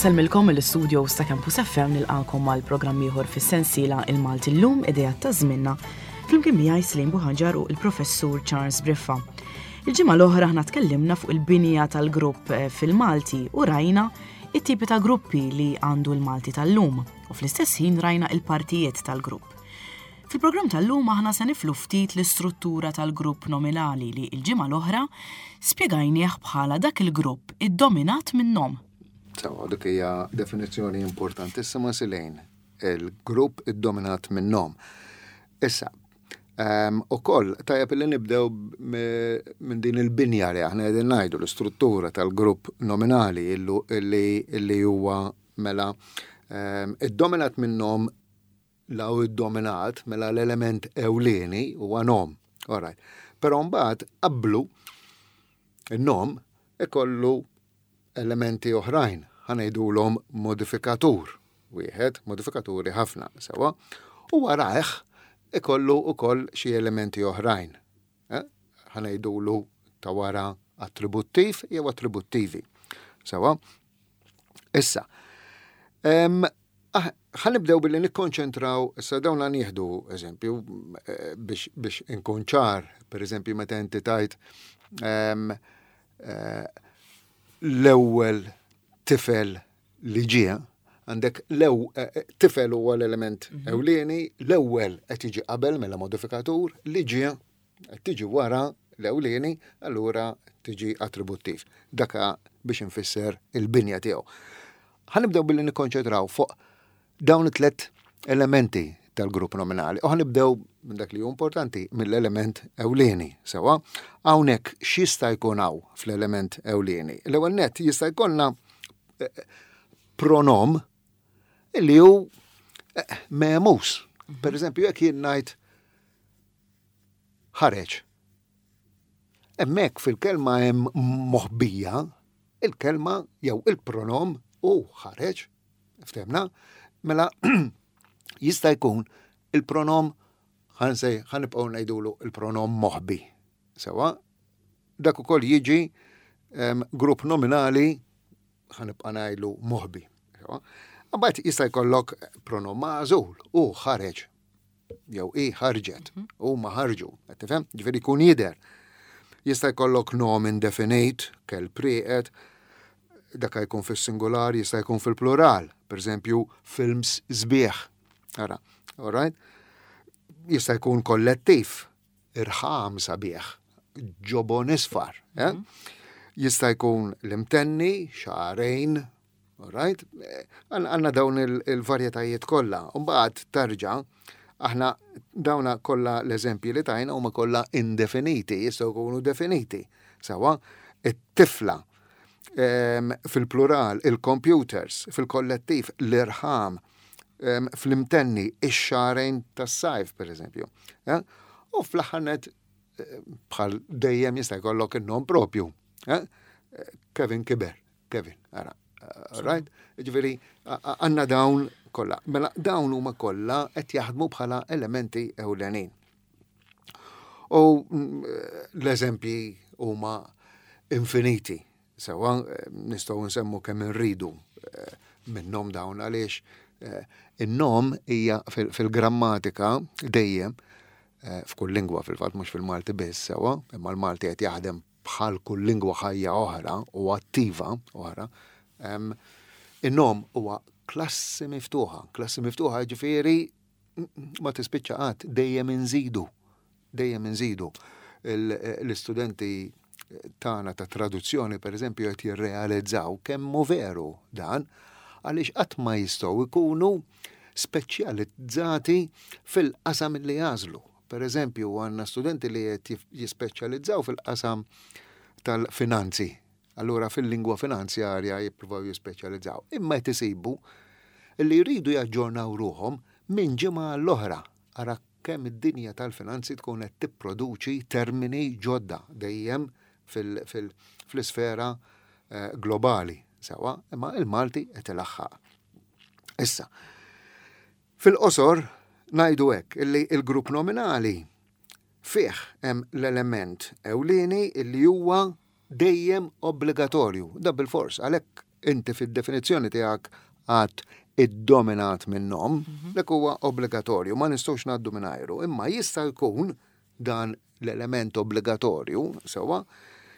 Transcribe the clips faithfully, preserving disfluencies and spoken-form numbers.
Insellmilkom mill-istudios ta' Campus F M, nilqakom għal programm ieħor fis-sensiela Il-Malti Llum, Ideat ta' Żmienna, flimkien miegħi Slim Buħaġar u il-Professur Charles Briffa. Il-ġimgħa l-oħra aħna tkellimna fuq il-binja tal-grupp eh, fil-Malti u rajna it-tipi ta' gruppi li għandu l-Malti tal-lum u fl-istess ħin rajna il-partijiet tal-grupp. Fil-programm tal-lum aħna se niflu ftit l-istruttura tal-grupp nominali li il-ġimgħa l-oħra spjegajnieh bħala dak il-grupp iddominat minn nom. Sewwa, dik hija definizzjoni importantissima, Silejn. Il-grupp iddominat minn nom. Issa, um, ukoll tajjeb li nibdew minn din il-binja li aħna qegħdin ngħidu, l-istruttura tal-grupp nominali illu illi illi huwa mela um, iddominat minn nom. Law iddominat, mela l-element ewlieni huwa nom. All right. Però mbagħad qablu in-nom ikollu elementi oħrajn, ħa ngħidulhom modifikatur. Wieħed, modifikaturi ħafna, sewwa. U warajh ikollu ukoll xi elementi oħrajn. Eh? Ħa ngħidulu ta' wara attributtiv jew attributtivi. Sewwa. Issa, em, ah, ħa nibdew billi nikkonċentraw, issa dawn nieħdu eżempju eh, biex, biex inkun ċar, per eżempju meta inti tajt em, eh, l-ewwel tifel li ġie, għandek lew eh, tifel huwa l-element ewlieni, l-ewwel qed jiġi qabel, mela modifikatur, li ġie qed tiġi wara l-ewlieni, allura tiġi attributtiv. Daka biex infisser il-binja tiegħu. Ħa nibdew billi nikkonċentraw fuq dawn it-tlet elementi tal-grupp nominali. U ħa nibdew minn dak li hu importanti, mill-element ewlieni. Sewwa, hawnhekk x'jista' jkun hawn fl-element ewlieni? L-ewwel net jista' jkollna eh, pronom illi hu eh, memus. Per eżempju, jekk jien ngħid "ħareġ". Hemmhekk fil-kelma hemm moħbija il-kelma jew il-pronom u "ħareġ". Ftehmna? Mela jista' jkun il-pronom, ħa nsej ħa nibqgħu ngħidulu il-pronom moħbi. Sewwa, dak ukoll jiġi em, grupp nominali, ħa nibqa' ngħidlu moħbi. Sewwa. Mbagħad jista' jkollok pronom magħżul u "ħareġ" jew i "ħarġet" u "ma ħarġu", qed tifhem? Ġifieri jkun jidher. Jista' jkollok nom indefinit, "kelb rieqed", dak jkun fis-singular, jista' jkun fil-plural, per eżempju, "films sbieħ". Ara, all right? Jista' jkun kollettiv, "irħam sabiħ", "ġobon isfar". Eh? Jista' jkun l-imtenni, "xahrejn", all right? Eh, Għandna dawn il- il-varjetajiet kollha. Mbagħad tarġa' aħna dawna kollha l-eżempji li tajna huma kollha indefiniti, jistgħu jkunu definiti. Sewwa, it-tifla, em, fil-plural, il-computers, fil-kollettiv, l-irħam, em, fl-imtenni, ix-xahrejn tas-sajf, per eżempju. Eh? U fl-aħħar net, eh, bħal dejjem jista' jkollok in-nom propju. Eh? Kevin kiber, Kevin, ara. eh, Right? Ġifieri, għandna dawn kollha. Mela dawn huma kollha qed jaħdmu bħala elementi ewlenin. U mm, l-eżempji huma infiniti. Sewwa, eh, nistgħu nsemmu kemm irridu eh, minnhom dawn għaliex eh, in-nom hija fil- fil-grammatika dejjem eh, f'kull lingwa fil-fatt, mhux fil-Malti biss, sewwa, imma l-Malti qed jaħdem bħal kull lingwa ħajja oħra u attiva oħra. em, In-nom huwa klassi miftuħa, klassi miftuħa ġifieri ma tispiċċa qatt, dejjem inżidu, dejjem inżidu. Il- L-istudenti tagħna ta' traduzzjoni, per eżempju, qed jirrealizzaw kemm hu veru dan, għaliex qatt ma jistgħu jkunu speċjalizzati fil-qasam li jagħżlu. Per eżempju, għandna studenti li qed jispeċjalizzaw fil-qasam tal-finanzi. Allura fil-lingwa finanzjarja jippruvaw jispeċjalizzaw. Imma qed isibu li jridu jaġġornaw ruħhom minn ġimgħa l-oħra. Ara kemm id-dinja tal-finanzi tkun qed tipproduċi termini ġodda dejjem fil-isfera eh, globali. Sewwa, imma il-Malti qed ilaħħaq. Issa, fil-qosor ngħidu hekk illi il-grupp nominali fih hemm l-element ewlieni illi huwa dejjem obbligatorju, da bil-fors, għalhekk inti fid-definizzjoni tiegħek għad iddominat minn nom, mhm. dak huwa obbligatorju, ma nistgħux ngħaddu mingħajru, imma jista' jkun dan l-element obbligatorju, sewwa,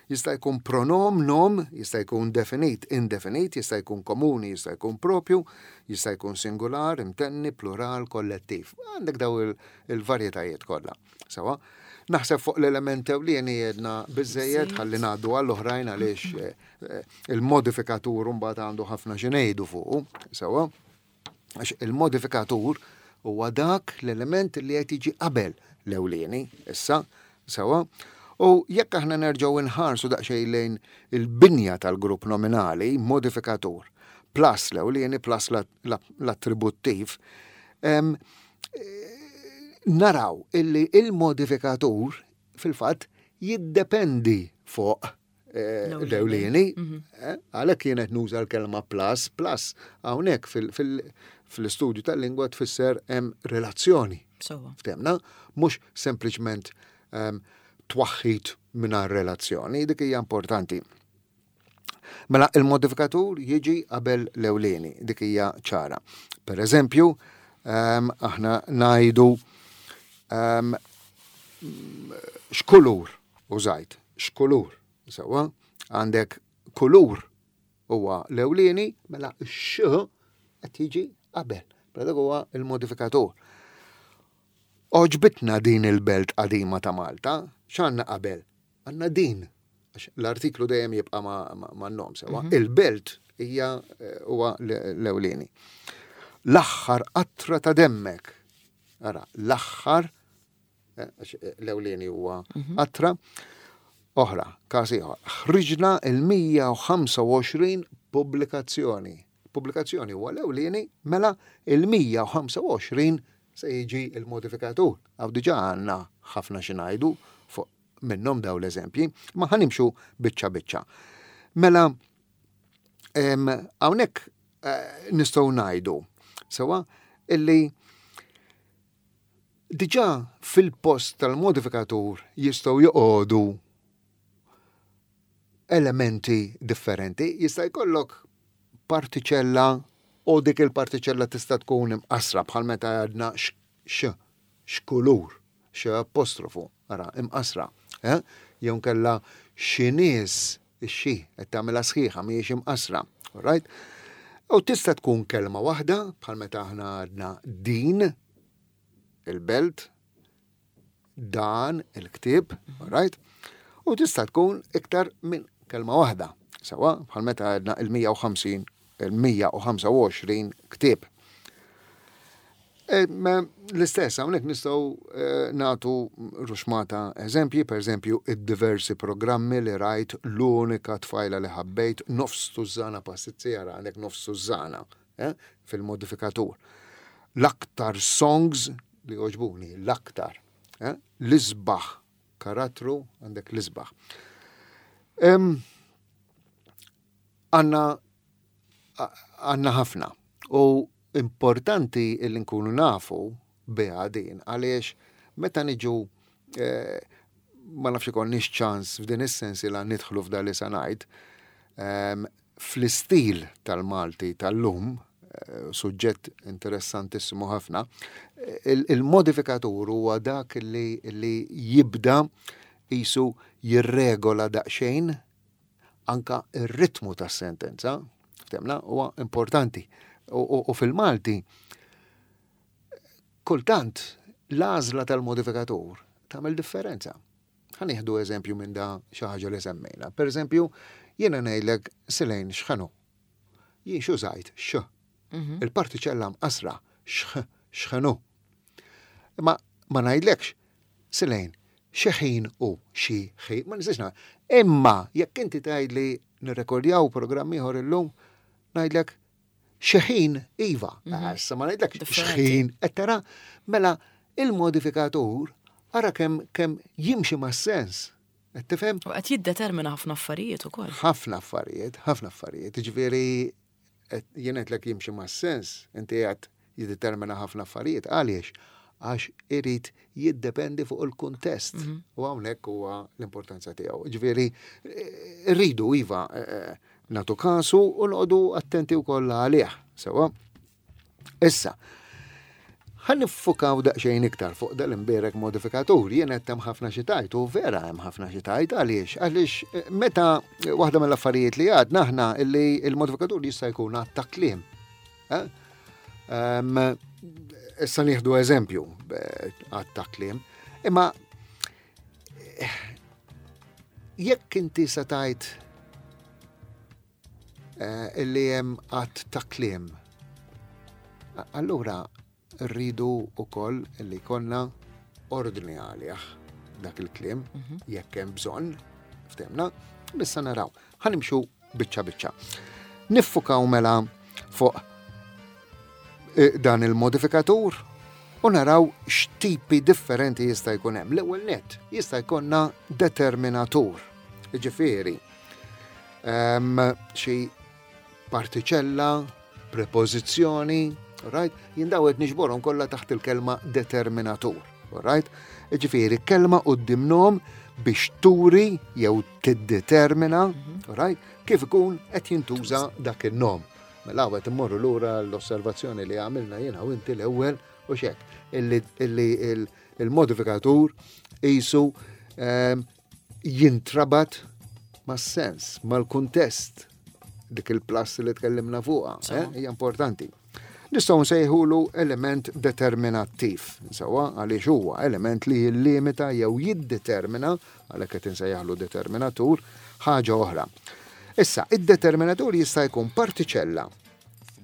jista' jkun pronom, nom, jista' jkun definit, indefinit, jista' jkun komuni, jista' jkun propju, jista' jkun singular, imtenni, plural, kollettiv. Għandek daw il-varjetajiet kollha. Sewwa, naħseb fuq l-element ewlieni jedna biżejjed, ħalli ngħaddu għall-oħrajn għaliex eh, eh, il-modifikatur mbagħad għandu ħafna xi ngħidu fuqu, sewwa. Għax il-modifikatur huwa dak l-element li qed jiġi qabel l-ewlieni, issa, sewwa. U jekk aħna nerġgħu nħarsu daqsxejn lejn il-binja tal-grupp nominali, modifikatur, plus l-ewlieni plus l-attributtiv, naraw illi il-modifikatur fil-fatt jiddependi fuq eh, l-ewlieni, mhm. eh, għalhekk kienet nuża l-kelma plus, plus hawnhekk fil-istudju tal-lingwa tfisser hemm relazzjoni. Ftemna, mhux sempliċement twaħħid mingħajr relazzjoni, dik hija importanti. Mela il-modifikatur jiġi qabel l-ewlieni, dik hija ċara. Per eżempju, aħna ngħidu um, x'kulur użajt, x'kulur, sewwa, għandek kulur huwa l-ewlieni, mela x qed jiġi qabel. Mela dak huwa il-modifikatur. Għoġbitna din il-belt qadima ta' Malta, x'għandna qabel? Għandna din, għax l-artiklu dejjem jibqa' ma' nom sewwa. Mhm. Il-belt hija eh, huwa l-ewlieni. L-aħħar qatra ta' demmek. Ara, l-aħħar eh, eh, l-ewlieni huwa mhm. qatra. Oħra, każ ieħor. Ħriġna il-mija u ħamsa u għoxrin pubblikazzjoni. Pubblikazzjoni huwa l-ewlieni, mela il-mija u ħamsa u għoxrin se jiġi il-modifikatur. Għaw diġa għandna ħafna xi ngħidu fuq minnhom daw l-eżempji, ma ħanimxu biċċa biċċa. Mela, hawnhekk eh, nistgħu ngħidu sewwa illi diġà fil-post tal-modifikatur jistgħu joqogħdu elementi differenti. Jista' jkollok partiċella u dik il-partiċella tista' tkun imqasra bħal meta għadna x, x'kulur, x apostrofu, ara, imqasra. Eh? Jew nkella xi nies, ix-xi, qed tagħmilha sħiħa mhijiex imqasra. Right? U tista' tkun kelma waħda bħal meta aħna għadna din il-belt, dan il-ktieb, right? U tista' tkun iktar minn kelma waħda, sewwa bħal meta għadna il-mija u ħamsin, il-mija u ħamsa u għoxrin ktieb. E, l-istess, hawnhekk nistgħu e, nagħtu ruxmata eżempji, per eżempju, id-diversi programmi li rajt, l-unika tfajla li ħabbejt, nofs tużana pastizzi, ara għandek nofs tużana, eh, fil-modifikatur. L-aktar songs li għoġbuni, l-aktar, eh, l-isbaħ karattru, għandek l-isbaħ. Għanna għanna ħafna. U importanti li nkunu nafu biha din, għaliex meta niġu, eh, ma nafx ikonniex ċans f'din is-sens li nidħlu f'dan li se ngħid, ehm, fl-istil tal-Malti tal-lum, eh, suġġett interessantissimu ħafna, il-modifikatur huwa dak li, li jibda jisu jirregola daqsxejn anka ir-ritmu tas-sentenza, ftemna, huwa importanti. U, u, u fil-Malti, kultant l-għażla tal-modifikatur tagħmel differenza. Ħa nieħdu eżempju minn da xi ħaġa li semmejna. Per eżempju, jiena ngħidlek Silejn x'ħanu. Jien x'użajt? X. Mhm. Il-partiċella mqasra x x'ħanu. Ma ma ngħidlekx Silejn xi ħin u xi ħin, ma nistax ngħid. Imma jekk inti tgħidli nirrekordjaw programm ieħor illum, ngħidlek xi ħin iva. Mhm. Issa ma ngħidlekx x'ħin, qed tara, mela il-modifikatur ara kemm kemm jimxi mas-sens. Qed tifhem? U qed jiddetermina ħafna affarijiet ukoll. Ħafna affarijiet, ħafna affarijiet. Jiġifieri jien qedlek jimxi mas-sens, inti qed jiddetermina ħafna affarijiet. Għaliex? Għax irid jiddependi fuq il-kuntest. Mhm. U hawnhekk huwa l-importanza tiegħu. Ġifieri rridu iva, eh, eh, nagħtu kasu u noqogħdu attenti wkoll għalih. Sewa. Issa, ħa niffukaw daqsxejn iktar fuq dal-imbierek modifikatur. Jien qed hemm ħafna xi tgħid, u vera hemm ħafna xi tgħid. Għaliex? Għaliex eh, meta waħda mill-affarijiet li għadna aħna illi il-modifikatur jista' jkun għadd ta' kliem. Eh? Em, Issa nieħdu eżempju eh, għadd ta' kliem. Imma eh, jekk inti se tgħid eh, illi hemm għadd ta' kliem, allura rridu wkoll illi jkollna ordni għalih dak il-kliem, jekk hemm bżonn, ftehimna, issa naraw. Ħa nimxu biċċa biċċa. Niffukaw mela fuq eh, dan il-modifikatur u naraw x'tipi differenti jista' jkun hemm. L-ewwel nett jista' jkollna determinatur. Jiġifieri, ehm, xi partiċella, prepożizzjoni, right? Jien daw qed niġborhom kollha taħt il-kelma determinatur, right? Jiġifieri kelma quddiem nom biex turi jew tiddetermina, right? Kif ikun qed jintuża dak il-nom. Mela qed immorru lura l-osservazzjoni li għamilna jiena u inti l-ewwel u xek, illi illi il- il-modifikatur qisu ehm, jintrabat mas-sens, mal-kuntest, dik il-plus li tkellimna fuqha, eh, hija importanti. Nistgħu nsejħulu element determinattiv, sewa, għaliex huwa element li jillimita jew jiddetermina, għalhekk qed insejjaħlu determinatur, ħaġa oħra. Issa, id-determinatur jista' jkun partiċella,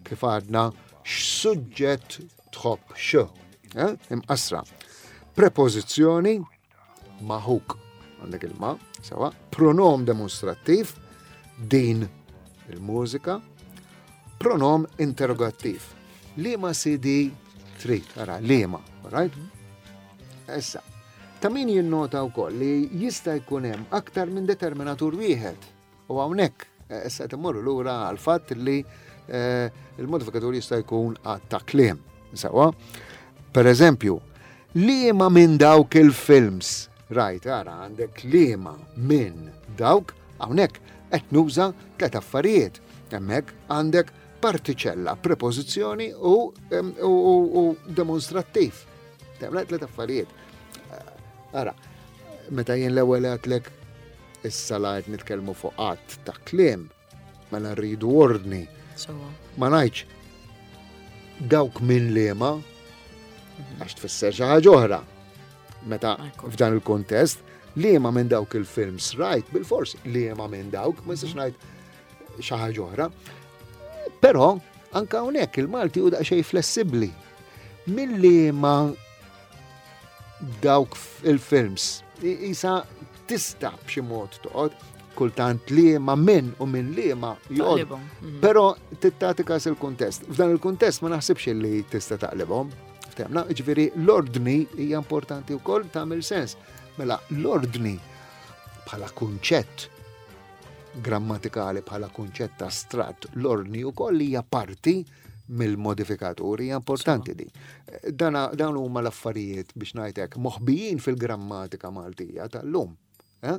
kif għadna, x'suġġett tħobb x, eh? Imqasra. Prepożizzjoni, ma' ħuk, għandek il-ma, sewa, pronom demonstrattiv, din il-mużika, pronom interrogattiv. Liema C D trid, ara, liema, right? Issa, ta' min jinnota wkoll li jista' jkun hemm aktar minn determinatur wieħed. U hawnhekk eh, issa qed immorru lura għal fatt li eh, il-modifikatur jista' jkun għadd ta' kliem. Sewa? Per eżempju, liema minn dawk il-films, right, ara, għandek liema minn dawk, hawnhekk qed nuża tliet affarijiet. Hemmhekk għandek partiċella, prepożizzjoni u, em, u, u, u demonstrattiv. Temla tliet affarijiet. Ara, meta jien l-ewwel għedtlek issa la qed nitkellmu fuq għadd ta' kliem, mela rridu ordni. Sewa. Ma ngħidx dawk minn liema, għax tfisser xi ħaġa oħra. Meta Ekku. f'dan il-kontest, liema minn dawk il-films, right, bil-fors, liema minn dawk, ma nistax ngħid xi ħaġa oħra. Però anka hawnhekk il-Malti hu daqsxejn flessibbli. Minn liema dawk il-films, isa tista' b'xi mod toqgħod kultant liema minn u minn liema joqgħod. Taqlibhom. Mhm. Però tagħti każ il-kuntest. F'dan il-kuntest ma naħsibx li tista' taqlibhom. Ftehmna, ġifieri l-ordni hija importanti wkoll, tagħmel sens. Mela l-ordni bħala kunċett grammatikali, bħala kunċett astratt, l-ordni wkoll hija parti mill-modifikaturi, hija importanti di. Dana, dawn huma l-affarijiet, biex ngħidlek, moħbijin fil-grammatika Maltija tal-lum. Eh?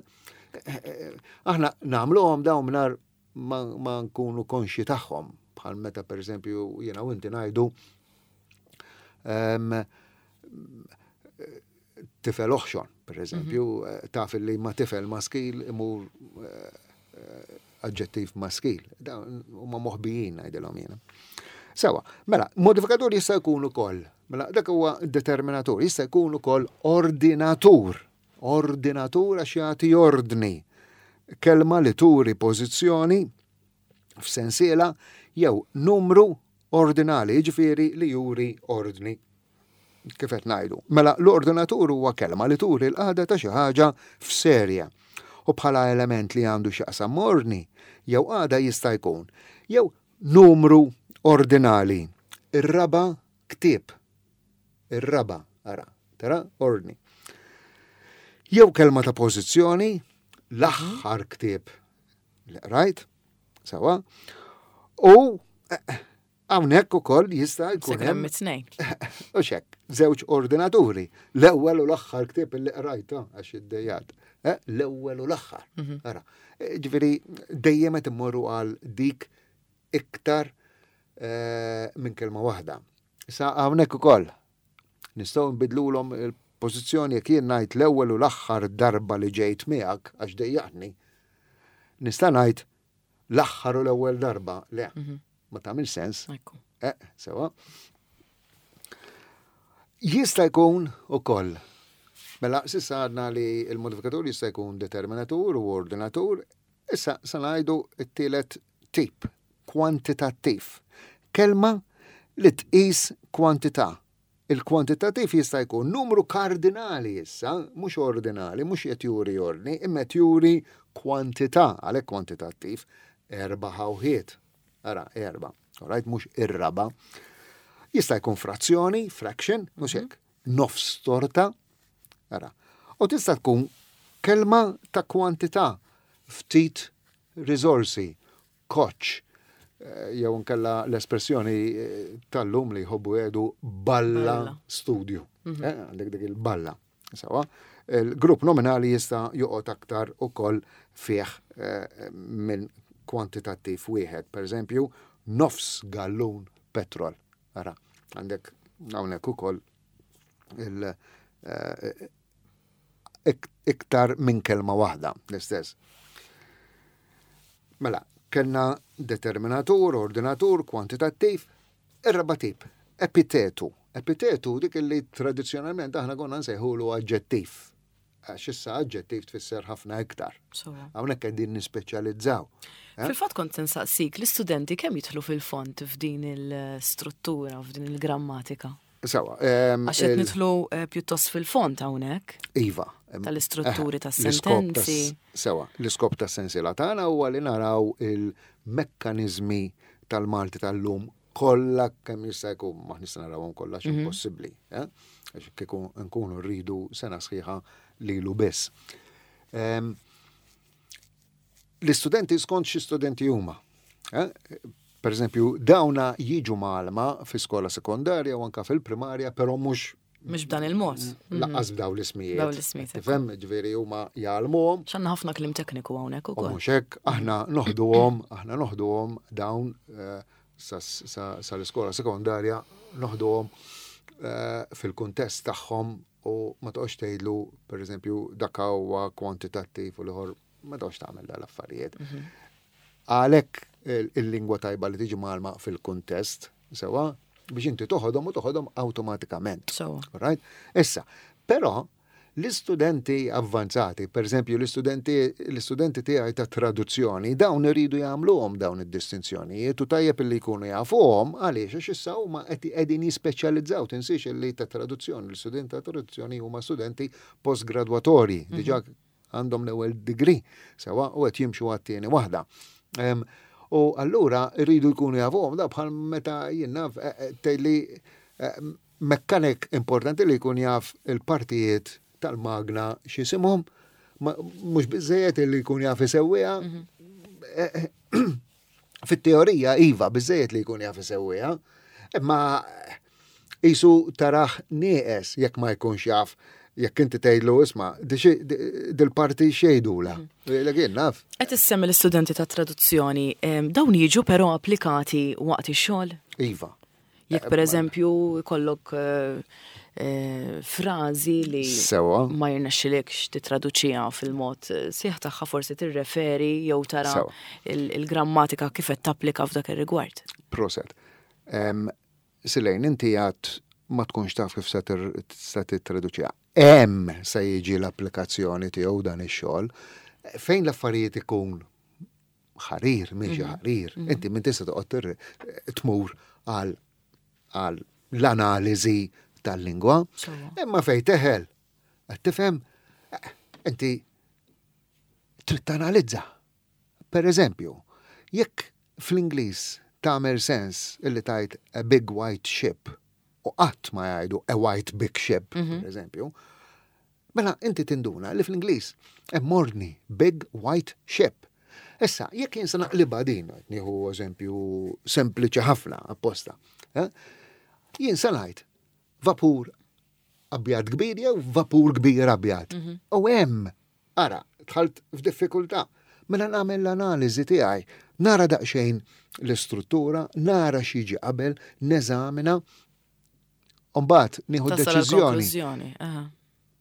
Aħna nagħmluhom dawn mingħajr ma, ma nkunu konxi tagħhom, bħal meta, pereżempju, jiena u inti ngħidu em, tifel oħxon, per eżempju, mm taf li ma tifel maskil imur eh, eh, aġġettiv maskil. Dawn huma moħbijin, ngħidilhom jiena. Sewa, mela, modifikatur jista' jkun ukoll. Mela, dak huwa determinatur, jista' jkun ukoll ordinatur. Ordinatur għax jagħti ordni. Kelma li turi pożizzjoni f'sensiela jew numru ordinali, jiġifieri li juri ordni. Kif qed ngħidu. Mela l-ordinatur huwa kelma li turi l-qagħda ta' xi ħaġa f'serja. U bħala element li għandu x'jaqsam ordni jew qagħda jista' jkun jew numru ordinali. Ir-raba' ktieb. Ir-raba', ara, tara, ordni. Jew kelma ta' pożizzjoni, l-aħħar ktieb li qrajt, sewa, u eh, Hawnhekk ukoll jista' jkun hemm it-tnejn. U hekk, żewġ ordinaturi. L-ewwel u l-aħħar ktieb li qrajta għax iddejjat. Eh, l-ewwel u l-aħħar. Mhm. Ara, eh, ġifieri dejjem qed immorru għal dik iktar eh, minn kelma waħda. Issa hawnhekk ukoll nistgħu nbidlulhom il-pożizzjoni. Jekk jien ngħid l-ewwel u l-aħħar darba li ġejt miegħek għax dejjaqni, nista' ngħid l-aħħar u l-ewwel darba? Le. Mhm ma tagħmel sens. Eh, sewa. Jista' jkun ukoll. Mela, s'issa għadna li il-modifikatur jista' jkun determinatur u ordinatur, issa sa ngħidu t-tielet tip, kwantitattiv. Kelma li tqis kwantità. Il-kwantitattiv jista' jkun numru kardinali issa, mhux ordinali, mhux qed juri ordni, imma qed juri kwantità, għalhekk kwantitattiv, erba' ħawħiet. Ara, erba', alright, mhux ir-raba. Jista' jkun frazzjoni, fraction, mhux hekk, nofs torta. Ara. U tista' tkun kelma ta' kwantità, ftit risorsi, koċ, eh, jew nkella l-espressjoni eh, tal-lum li jħobbu jgħidu balla studju. Mhm. Eh, għandek dik il-balla. Sewa, il-grupp nominali jista' joqgħod aktar ukoll fih minn kwantitattiv wieħed. Per eżempju, nofs gallun petrol. Ara, għandek hawnhekk ukoll il eh, iktar minn kelma waħda, l-istess. Mela, kellna determinatur, ordinatur, kwantitattiv, ir-raba tip, epitetu. Epitetu dik li tradizzjonalment aħna konna nsejħulu aġġettiv. Għax issa aġġettiv tfisser ħafna iktar. Hawnhekk qegħdin nispeċjalizzaw. Eh? Fil-fatt kont nsaqsik, l-istudenti kemm jidħlu fil-fond f'din il-struttura, f'din il-grammatika? Sewa. Għax qed nidħlu eh, pjuttost fil-fond hawnhekk. Iva. Tal-istrutturi eh, tas-sentenzi. Sewa, l-iskop tas-sensiela tagħna huwa li naraw il-mekkaniżmi tal-Malti tal-lum kollha kemm jista' jkun, ma nista' narawhom kollha x'impossibbli, mhm. impossibbli, eh? Għax kieku nkunu rridu sena sħiħa lilu biss. L-istudenti skont xi studenti huma. Eh? Per eżempju, dawna jiġu mgħallma fi skola sekondarja u anka fil-primarja, però mhux Mhux b'dan il-mod. Lanqas b'daw l-ismijiet. Daw l-ismijiet. Tifhem, ġifieri huma jgħallmuhom. X'għandna ħafna kliem tekniku hawnhekk ukoll. Mhux hekk, aħna noħduhom, aħna noħduhom dawn eh, sal-iskola sekondarja, noħduhom eh, fil-kuntest tagħhom u ma toqgħodx tgħidlu, pereżempju, dak huwa kwantitattiv u l-ieħor, ma toqgħodx tagħmel dal-affarijiet. Mhm. Għalhekk il-lingwa tajba li tiġi mgħallma fil-kuntest, sewa, biex inti toħodhom u toħodhom awtomatikament. Right? Issa, però l-istudenti avvanzati, per eżempju l-istudenti l-istudenti tiegħi ta' traduzzjoni, dawn iridu jagħmluhom dawn id-distinzjonijiet u tajjeb li jkunu jafuhom. Għaliex? Għax issa huma qegħdin jispeċjalizzaw. Tinsiex li ta' traduzzjoni, l-istudenti ta' traduzzjoni huma studenti postgradwatorji, mhm. diġà għandhom l-ewwel degree, sewa, u qed jimxu għat-tieni waħda. U allura rridu jkunu jafuhom da bħal meta jien naf eh, eh, tgħidli eh, mekkanik importanti li jkun jaf il-partijiet tal-magna x'isimhom, mhux biżejjed li jkun jaf isewwiha. Mhm. Fit-teorija iva, biżejjed li jkun jaf isewwiha, imma jisu taraħ nieqes jekk ma jkunx jaf, jekk inti tgħidlu, "Isma', dil-parti x'jgħidulha?" Mhm. Jien naf. Qed issemmi l-istudenti ta' traduzzjoni, dawn jiġu però applikati waqt ix-xogħol? Iva. Jekk per eżempju kollok eh, eh, frażi li Sewa. ma jirnexxilekx titraduċiha fil-mod eh, sħiħ tagħha, forsi tirreferi jew tara Sewa. il-grammatika kif qed tapplika f'dak ir-rigward. Proset. Em, Silejn, inti għad ma tkunx taf kif se tir- se tittraduċiha. Hemm se jiġi l-applikazzjoni tiegħu dan ix-xogħol. Fejn l-affarijiet ikun ħarir, miexi ħarir, inti minn tista' toqgħod tir- tmur għal għal l-analiżi tal-lingwa. Sewa. Imma fej teħel, qed tifhem, eh, inti trid tanalizza. Per eżempju, jekk fl-Ingliż tagħmel sens illi tgħid "a big white ship" u qatt ma jgħidu "a white big ship", per eżempju, mela inti tinduna li fl-Ingliż hemm ordni, big white ship. Issa, jekk jien se naqlibha din, nieħu eżempju sempliċi ħafna apposta, eh? Jien se ngħid vapur abjad kbir jew vapur kbir abjad. U hemm, ara, dħalt f'diffikultà. Mela nagħmel l-analiżi tiegħi, nara daqsxejn l-istruttura, nara x'jiġi qabel, neżamina, u mbagħad nieħu Tasal deċiżjoni. għall-konklużjoni. Aha.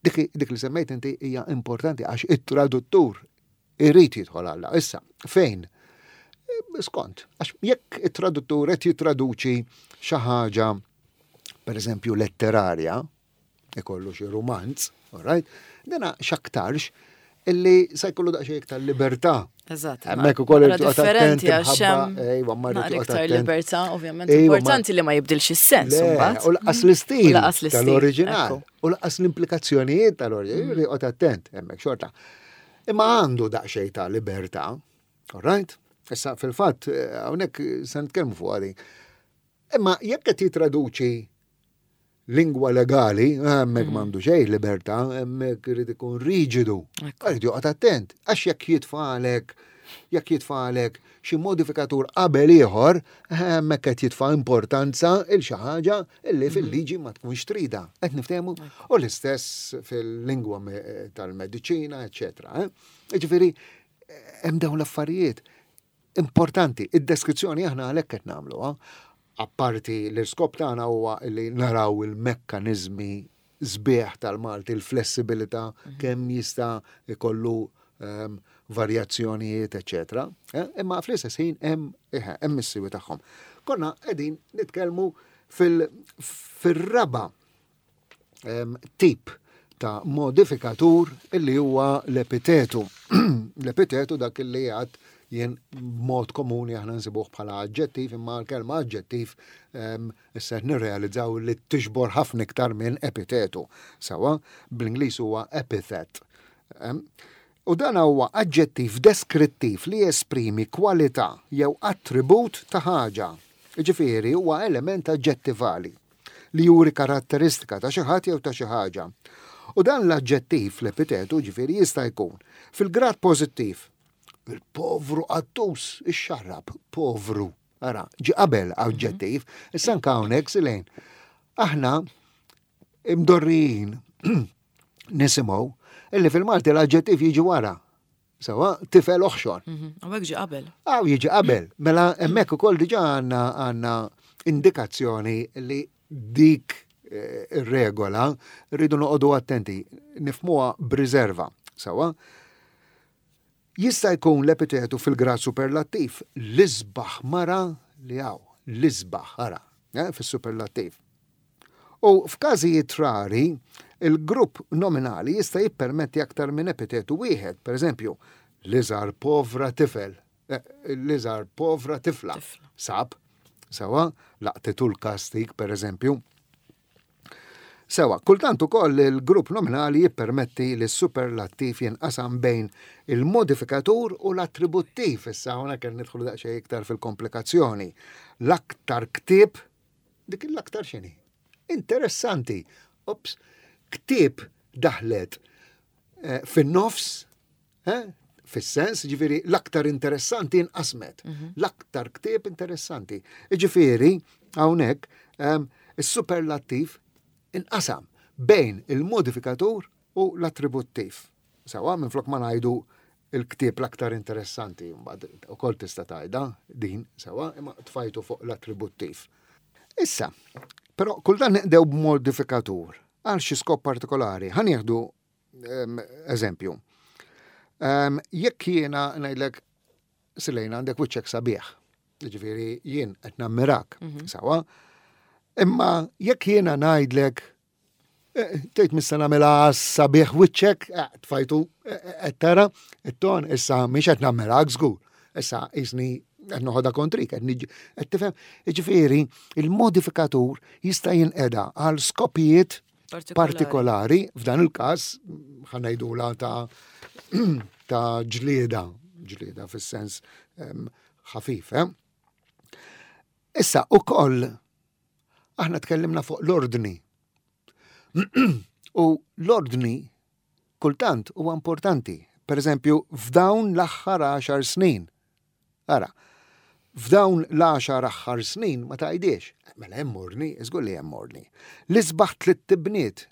Dik, dik li semmejt inti hija importanti għax it-traduttur irid jidħol għalla. Issa, fejn? Eh, Skont, għax jekk it-traduttur qed jittraduċi xi ħaġa, per eżempju, letterarja, ikollu xi romanz, all right? Dana x'aktarx illi se jkollu daqsxejn iktar libertà. Eżatt. Hemmhekk ukoll Naqra irid joqgħod differenti attent għax imħabba, hemm ejwa, ma rrid naqra joqgħod iktar attent. libertà, ovvjament. Ejwa, ma- Importanti li ma jibdilx is-sens Le, imbagħad. u lanqas l-istil U lanqas l-istil, tal-oriġinal. ekku. U lanqas l-implikazzjonijiet tal-oriġinal. Mm. Joqgħod attent, hemmhekk xorta. Imma għandu daqsxejn ta' libertà, all right? Issa fil-fatt, eh, hawnhekk se nitkellmu fuq għadi. Imma jekk qed jitraduċi lingwa legali, hemmhekk m'għandu xejn libertà, hemmhekk irid ikun riġidu. Ekku. Irid joqgħod attent, għax jekk jitfagħlek jekk jitfagħlek xi modifikatur qabel ieħor, hemmhekk qed jitfa' importanza il xi ħaġa illi fil-liġi ma tkunx trida. Qed niftehmu? U l-istess fil-lingwa me- tal-mediċina, eċċetera. eh? Jiġifieri hemm dawn l-affarijiet importanti. Id-deskrizzjoni aħna għalhekk qed nagħmluha. Apparti l-iskop tagħna huwa li naraw il-mekkaniżmi sbieħ tal-Malti, il-flessibilità, kemm jista' ikollu um, varjazzjonijiet, eċetera. Eh? Imma fl-istess ħin hemm eh, hemm is-siwi tagħhom. Konna qegħdin nitkellmu fil- fir-raba em, tip ta' modifikatur illi huwa l-epitetu. L-epitetu dak illi għad jien mod komuni aħna nsibuh bħala aġġettiv, imma l-kelma aġġettiv em, issa qed nirrealizzaw li tiġbor ħafna iktar minn epitetu. Sawa, bl-Ingliż huwa epithet. Em, U dan huwa aġġettiv deskrittiv li jesprimi kwalità jew attribut ta' ħaġa. Ġifieri huwa element aġġettivali li juri karatteristika ta' xi ħadd jew ta' xi ħaġa. U dan l-aġġettiv l-epitetu ġifieri jista' jkun fil-grad pożittiv. Il-povru qattus, ixxarrab, povru. Ara, ġi qabel aġġettiv, issa anke hawnhekk silejn. Aħna imdorrijin nisimgħu illi fil-Malti l-aġġettiv jiġi wara. Sawa, tifel oħxon. Mhm. U hekk ġi qabel. Għaw jiġi qabel. Mela hemmhekk ukoll diġà għandna għandna indikazzjoni li dik eh, ir-regola rridu noqogħdu attenti, nifhmuha b'riserva. Sawa? Jista' jkun l-epitetu fil-grad superlattiv, l-isbaħ mara li hawn, l-isbaħ, ara, eh, fis-superlattiv. U f'każijiet rari, il-grupp nominali jista' jippermetti aktar minn epitetu wieħed, per eżempju, l-iżgħar povra tifel, eh, l-iżgħar povra tifla. Tifla. Sab, sawa, laqtitu l-kastig, per eżempju. Sewa, kultant ukoll il-grupp nominali jippermetti li s-superlattiv jinqasam bejn il-modifikatur u l-attributtiv. Issa hawnhekk qed nidħlu daqsxejn iktar fil-komplikazzjoni. L-aktar ktieb, dik l-aktar x'inhi? Interessanti. Ops, ktieb daħlet eh, fin-nofs, eh, fis-sens, ġifieri l-aktar interessanti inqasmet. L-aktar ktieb interessanti. Ġifieri, hawnhekk, em, is-superlattiv inqasam bejn il-modifikatur u l-attributtiv. Sawa, minn flok ma ngħidu il-ktieb l-aktar interessanti, mbagħad ukoll tista' tgħidha din, sawa, imma tfajtu fuq l-attributtiv. Issa, però kultant nqdew b'modifikatur għal xi skop partikolari. Ħa nieħdu em, eżempju. Em, Jekk jiena ngħidlek Silejna għandek wiċċek sabiħ, ġifieri jien qed nammirak, sawa, imma jekk jiena ngħidlek eh, tgħid missa nagħmilha sabiħ wiċċek, eh, tfajtu eh, eh, qed tara, it-ton issa mhix qed nammirak żgur. Issa qisni qed noħodha kontrik, qed niġi- qed tifhem. Ġifieri il-modifikatur jista' jinqeda għal skopijiet Partikolari. partikolari, f'dan il-każ ħa ngħidula ta' ta' ġlieda, ġlieda fis-sens em, ħafif, eh? Issa, ukoll aħna tkellimna fuq l-ordni. U l-ordni kultant huwa importanti. Per eżempju, f'dawn l-aħħar għaxar snin. Ara, f'dawn l-għaxar aħħar snin ma tgħidhiex. Mela hemm ordni, żgur li hemm ordni. L-isbaħ tlitt ibniet.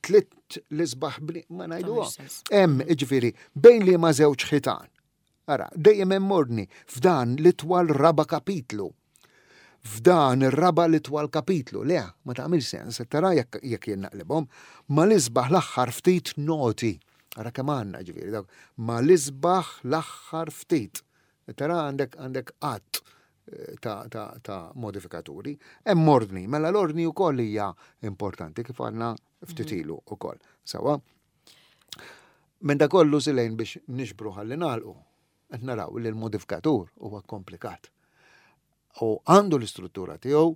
Tlitt l-isbaħ bniet, ma ngħiduha. Hemm, jiġifieri, bejn li ma żewġ ħitan. Ara, dejjem hemm ordni f'dan l-itwal raba kapitlu. F'dan ir-raba l-itwal kapitlu. Le, ma tagħmel sens, tara jekk jekk jien naqlibhom, ma l-isbaħ l-aħħar ftit noti. Ara kemm għandna ġifieri dawk, ma l-isbaħ l-aħħar ftit. Tara għandek għandek qatt eh, ta', ta, ta' modifikaturi. Hemm ordni, mela l-ordni wkoll hija importanti kif għandna ftit ilu wkoll. Sawa? Minn da kollu silejn biex nixbru ħalli nagħlqu, qed naraw li l-modifikatur huwa komplikat. U għandu l-istruttura tiegħu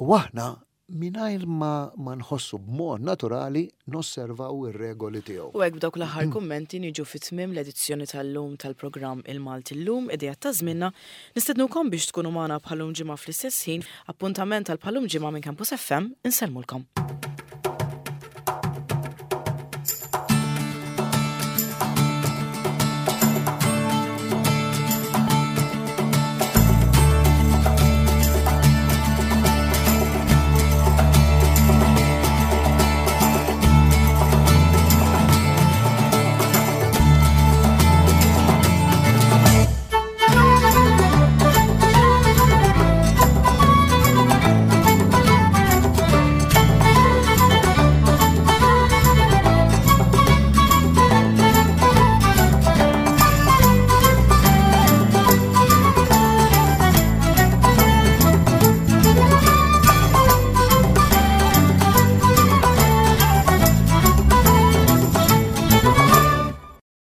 u aħna mingħajr ma, ma nħossu b'mod naturali nosservaw ir-regoli tiegħu. U hekk b'dawk l-aħħar kummenti niġu fi tmiem l-edizzjoni tal-lum tal-programm Il-Malti Llum, Ideat ta' Żmienna. Nistednukom biex tkunu magħna bħal-lum ġimgħa fl-istess ħin, appuntament tal bħal-lum ġimgħa minn Campus F M, insellmulkom.